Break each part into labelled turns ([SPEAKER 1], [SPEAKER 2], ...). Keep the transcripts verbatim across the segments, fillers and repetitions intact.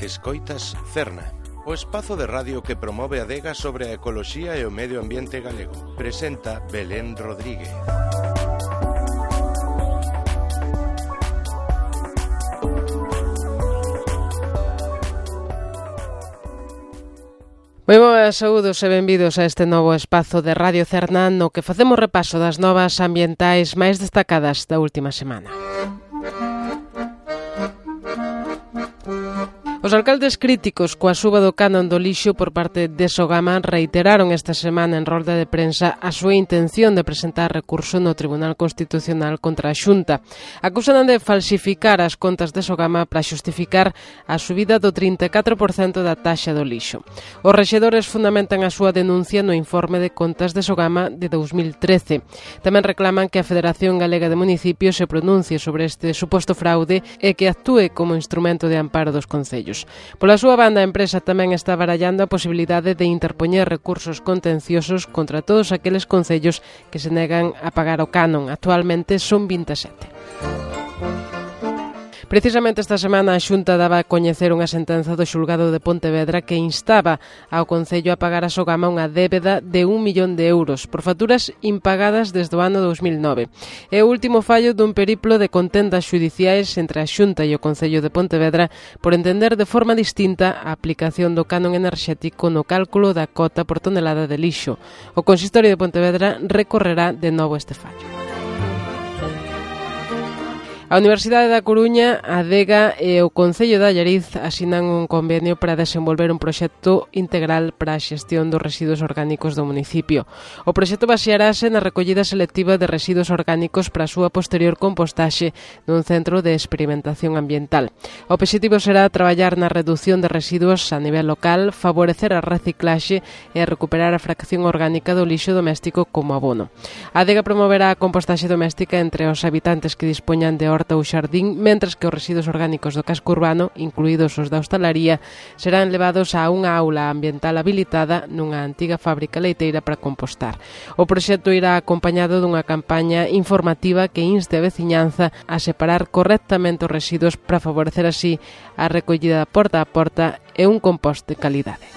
[SPEAKER 1] Escoitas Cerna, o espazo de radio que promove a adega sobre a ecoloxía e o medio ambiente galego. Presenta Belén Rodríguez.
[SPEAKER 2] Moi boas, saúdos e benvidos a este novo espazo de Radio Cerna no que facemos repaso das novas ambientais máis destacadas da última semana. Os alcaldes críticos coa suba do canon do lixo por parte de Sogama reiteraron esta semana en rolda de prensa a súa intención de presentar recurso no Tribunal Constitucional contra a Xunta. Acusan de falsificar as contas de Sogama para xustificar a subida do trinta e catro por cento da taxa do lixo. Os rexedores fundamentan a súa denuncia no informe de contas de Sogama de dous mil trece. Tamén reclaman que a Federación Galega de Municipios se pronuncie sobre este suposto fraude e que actúe como instrumento de amparo dos concellos. Pola súa banda, a empresa tamén está barallando a posibilidade de interpoñer recursos contenciosos contra todos aqueles concellos que se negan a pagar o canon. Actualmente son vinte e sete. Precisamente esta semana a Xunta daba a coñecer unha sentenza do xulgado de Pontevedra que instaba ao Concello a pagar a Sogama unha débeda de un millón de euros por facturas impagadas desde o ano dous mil nove. É o último fallo dun periplo de contendas xudiciais entre a Xunta e o Concello de Pontevedra por entender de forma distinta a aplicación do canon enerxético no cálculo da cota por tonelada de lixo. O Consistorio de Pontevedra recorrerá de novo este fallo. A Universidade da Coruña, a Adega e o Concello de Allariz asinan un convenio para desenvolver un proxecto integral para a xestión dos residuos orgánicos do municipio. O proxecto basearase na recollida selectiva de residuos orgánicos para a súa posterior compostaxe nun centro de experimentación ambiental. O obxectivo será traballar na reducción de residuos a nivel local, favorecer a reciclaxe e recuperar a fracción orgánica do lixo doméstico como abono. A Adega promoverá a compostaxe doméstica entre os habitantes que dispoñan de horta ou xardín, mentres que os residuos orgánicos do casco urbano, incluídos os da hostalaría, serán levados a unha aula ambiental habilitada nunha antiga fábrica leiteira para compostar. O proxecto irá acompañado dunha campaña informativa que inste a veciñanza a separar correctamente os residuos para favorecer así a recollida porta a porta e un compost de calidade.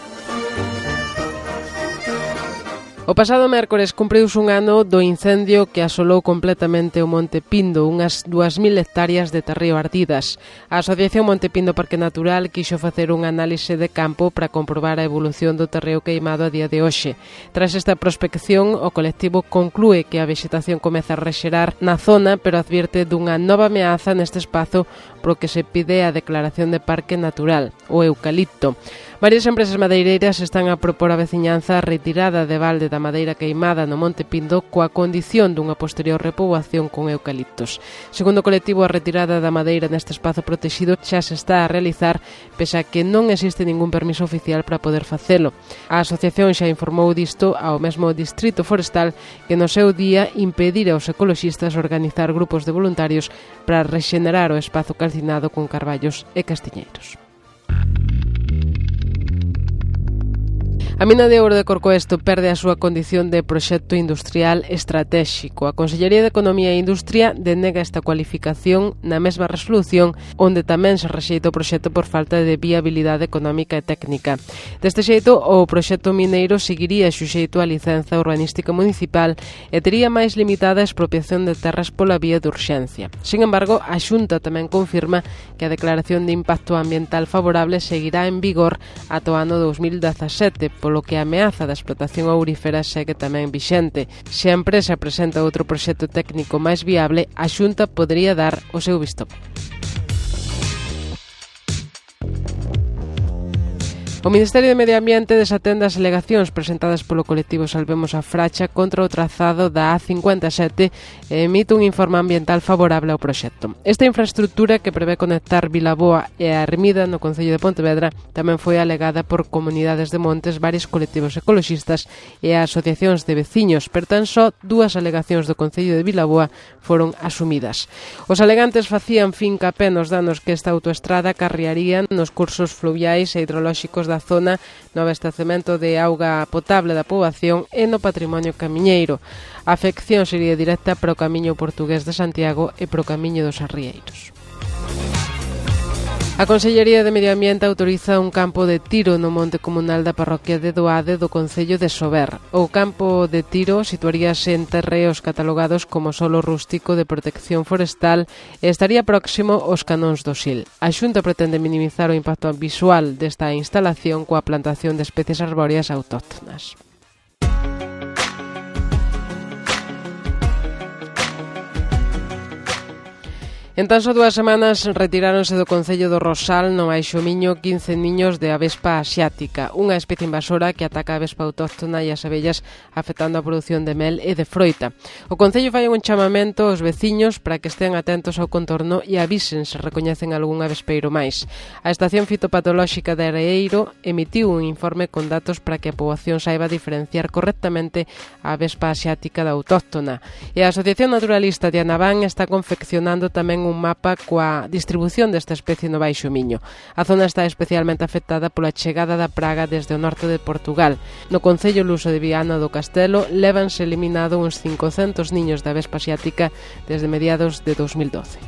[SPEAKER 2] O pasado mércores cumpriuse un ano do incendio que asolou completamente o Monte Pindo, unhas dúas mil hectáreas de terreo ardidas. A Asociación Monte Pindo Parque Natural quixo facer un análise de campo para comprobar a evolución do terreo queimado a día de hoxe. Tras esta prospección, o colectivo conclúe que a vexetación comeza a rexerar na zona, pero advierte dunha nova ameaza neste espazo pro que se pide a declaración de parque natural, o eucalipto. Varias empresas madeireiras están a propor a veciñanza a retirada de balde da madeira queimada no Monte Pindo coa condición dunha posterior repoboación con eucaliptos. Segundo o colectivo, a retirada da madeira neste espazo protegido xa se está a realizar, pese a que non existe ningún permiso oficial para poder facelo. A asociación xa informou disto ao mesmo Distrito Forestal que no seu día impedir aos ecoloxistas organizar grupos de voluntarios para rexenerar o espazo calcinado con carballos e castiñeiros. A mina de ouro de Corcoesto perde a súa condición de proxecto industrial estratéxico. A Consellería de Economía e Industria denega esta cualificación na mesma resolución onde tamén se rexeita o proxecto por falta de viabilidade económica e técnica. Deste xeito, o proxecto mineiro seguiría suxeito á licenza urbanística municipal e tería máis limitada a expropiación de terras pola vía de urxencia. Sin embargo, a Xunta tamén confirma que a declaración de impacto ambiental favorable seguirá en vigor ata o ano dous mil dezasete, polo que a ameaza da explotación aurífera segue tamén vixente. Se a empresa presenta outro proxecto técnico máis viable, a Xunta podería dar o seu visto. O Ministerio de Medio Ambiente desatende as alegacións presentadas polo colectivo Salvemos a Fracha contra o trazado da A cincuenta e sete e emite un informe ambiental favorable ao proxecto. Esta infraestructura, que prevé conectar Vilaboa e a Ermida no Concello de Pontevedra, tamén foi alegada por comunidades de montes, varios colectivos ecoloxistas e asociacións de veciños, pero tan só dúas alegacións do Concello de Vilaboa foron asumidas. Os alegantes facían fincapé nos danos que esta autoestrada acarrearía nos cursos fluviais e hidrolóxicos da zona, no abastecemento de auga potable da poboación e no patrimonio camiñeiro. A afección sería directa para o camiño portugués de Santiago e para o camiño dos Arrieiros. A Consellería de Medio Ambiente autoriza un campo de tiro no monte comunal da parroquia de Doade do concello de Sober. O campo de tiro situaríase en terreos catalogados como solo rústico de protección forestal e estaría próximo aos canóns do Sil. A Xunta pretende minimizar o impacto visual desta instalación coa plantación de especies arbóreas autóctonas. En tan só dúas semanas retiráronse do concello do Rosal, no Baixo Miño, quince niños de avespa asiática, unha especie invasora que ataca a avespa autóctona e as abellas, afectando a produción de mel e de froita. O concello fai un chamamento aos veciños para que estén atentos ao contorno e avisen se recoñecen algún avespeiro máis. A Estación Fitopatolóxica de Areeiro emitiu un informe con datos para que a poboación saiba diferenciar correctamente a avespa asiática da autóctona. E a Asociación Naturalista de Anabán está confeccionando tamén un mapa coa distribución desta especie no Baixo Miño. A zona está especialmente afectada pola chegada da praga desde o norte de Portugal. No concello luso de Viana do Castelo levanse eliminado uns cincocentos niños da avespa asiática desde mediados de dos mil doce.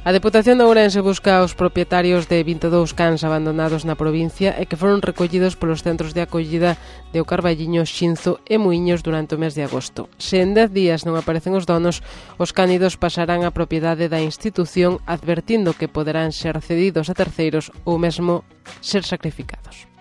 [SPEAKER 2] A Deputación de Ourense busca aos propietarios de vinte e dous cans abandonados na provincia e que foron recollidos polos centros de acollida de O Carballiño, Xinzo e Muiños durante o mes de agosto. Se en dez días non aparecen os donos, os cánidos pasarán a propiedade da institución, advertindo que poderán ser cedidos a terceiros ou mesmo ser sacrificados.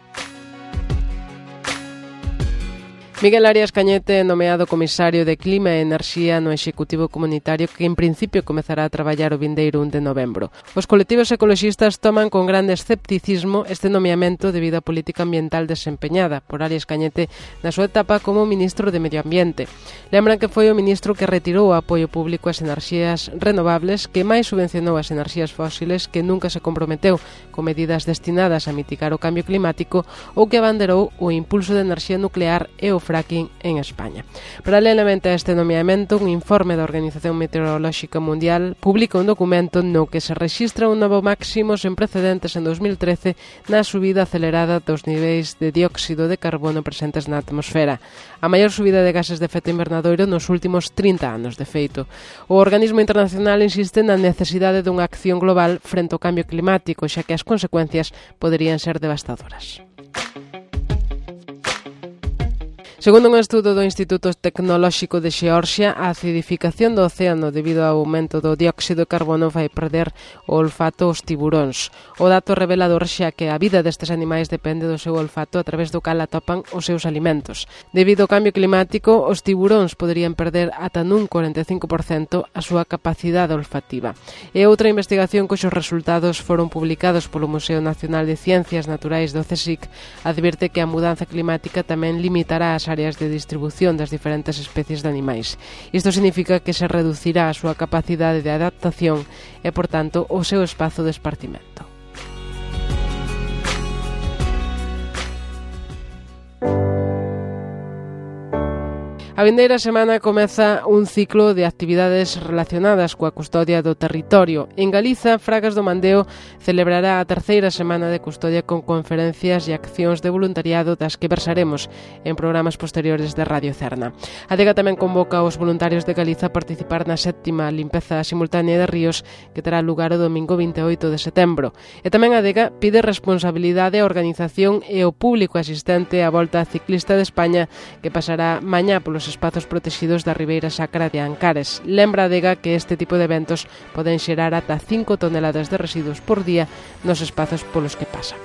[SPEAKER 2] Miguel Arias Cañete, nomeado comisario de Clima e Enerxía no Executivo Comunitario, que en principio comezará a traballar o vindeiro un de novembro. Os colectivos ecoloxistas toman con grande escepticismo este nomeamento debido á política ambiental desempeñada por Arias Cañete na súa etapa como ministro de Medio Ambiente. Lembran que foi o ministro que retirou o apoio público ás enerxías renovables, que máis subvencionou as enerxías fósiles, que nunca se comprometeu con medidas destinadas a mitigar o cambio climático ou que abanderou o impulso de enerxía nuclear e o fracking en España. Paralelamente a este nomeamento, un informe da Organización Meteorolóxica Mundial publica un documento no que se rexistra un novo máximo sen precedentes en dos mil trece na subida acelerada dos niveis de dióxido de carbono presentes na atmosfera, a maior subida de gases de efecto invernadoiro nos últimos trinta anos, de feito. O organismo internacional insiste na necesidade dunha acción global frente ao cambio climático, xa que as consecuencias poderían ser devastadoras. Segundo un estudo do Instituto Tecnolóxico de Xeorxia, a acidificación do océano debido ao aumento do dióxido de carbono vai perder o olfato aos tiburóns. O dato revelador xa que a vida destes animais depende do seu olfato a través do cal atopan os seus alimentos. Debido ao cambio climático, os tiburóns poderían perder ata nun cuarenta e cinco por cento a súa capacidade olfativa. E outra investigación cuxos resultados foron publicados polo Museo Nacional de Ciencias Naturais do CSIC advirte que a mudanza climática tamén limitará as áreas de distribución das diferentes especies de animais. Isto significa que se reducirá a súa capacidade de adaptación e, por tanto, o seu espazo de esparcimento. A vindeira semana comeza un ciclo de actividades relacionadas coa custodia do territorio. En Galiza, Fragas do Mandeo celebrará a terceira semana de custodia con conferencias e accións de voluntariado das que versaremos en programas posteriores de Radio Cerna. A Adega tamén convoca aos voluntarios de Galiza a participar na sétima limpeza simultánea de ríos que terá lugar o domingo vinte e oito de setembro. E tamén a Adega pide responsabilidade á organización e ao público asistente á Volta Ciclista de España que pasará mañá polos espazos protegidos da Ribeira Sacra de Ancares. Lembra a Adega que este tipo de eventos poden xerar ata cinco toneladas de residuos por día nos espazos polos que pasan.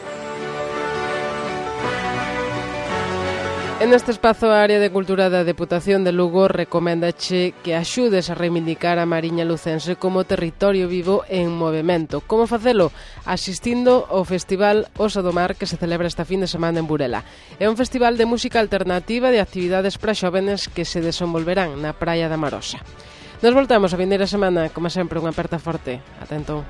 [SPEAKER 2] En este espazo, a Área de Cultura da Deputación de Lugo recoméndache que axudes a reivindicar a Mariña Lucense como territorio vivo en movemento. Como facelo? Asistindo ao Festival Osa do Mar que se celebra esta fin de semana en Burela. É un festival de música alternativa de actividades para xóvenes que se desenvolverán na Praia da Marosa. Nos voltamos a vindeira semana, como sempre, unha aperta forte. Ata entón.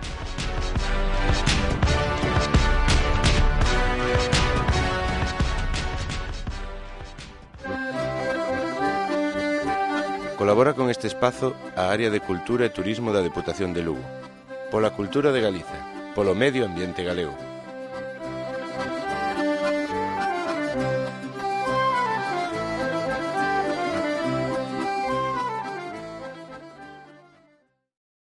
[SPEAKER 1] Colabora con este espazo a Área de Cultura e Turismo da Deputación de Lugo. Pola cultura de Galiza, polo medio ambiente galego.